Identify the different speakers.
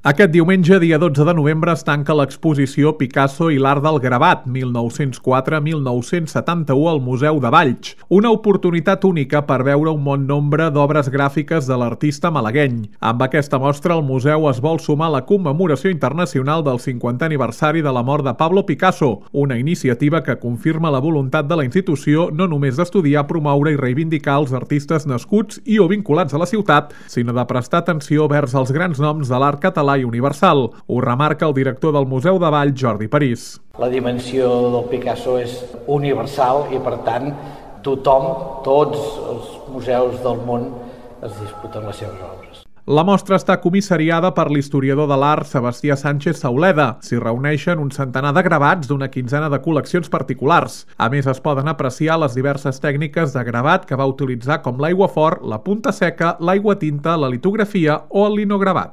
Speaker 1: Aquest diumenge, dia 12 de novembre, es tanca l'exposició Picasso i l'art del gravat, 1904-1971, al Museu de Valls. Una oportunitat única per veure un bon nombre d'obres gràfiques de l'artista malagueny. Amb aquesta mostra, el museu es vol sumar a la commemoració internacional del 50è aniversari de la mort de Pablo Picasso, una iniciativa que confirma la voluntat de la institució no només d'estudiar, promoure i reivindicar els artistes nascuts i o vinculats a la ciutat, sinó de prestar atenció vers els grans noms de l'art català i universal. Ho remarca el director del Museu de Valls, Jordi París.
Speaker 2: La dimensió del Picasso és universal i, per tant, tothom, tots els museus del món es disputen les seves obres.
Speaker 1: La mostra està comissariada per l'historiador de l'art Sebastià Sánchez Sauleda. S'hi reuneixen un centenar de gravats d'una quinzena de col·leccions particulars. A més, es poden apreciar les diverses tècniques de gravat que va utilitzar, com l'aiguafort, la punta seca, l'aigua tinta, la litografia o el linogravat.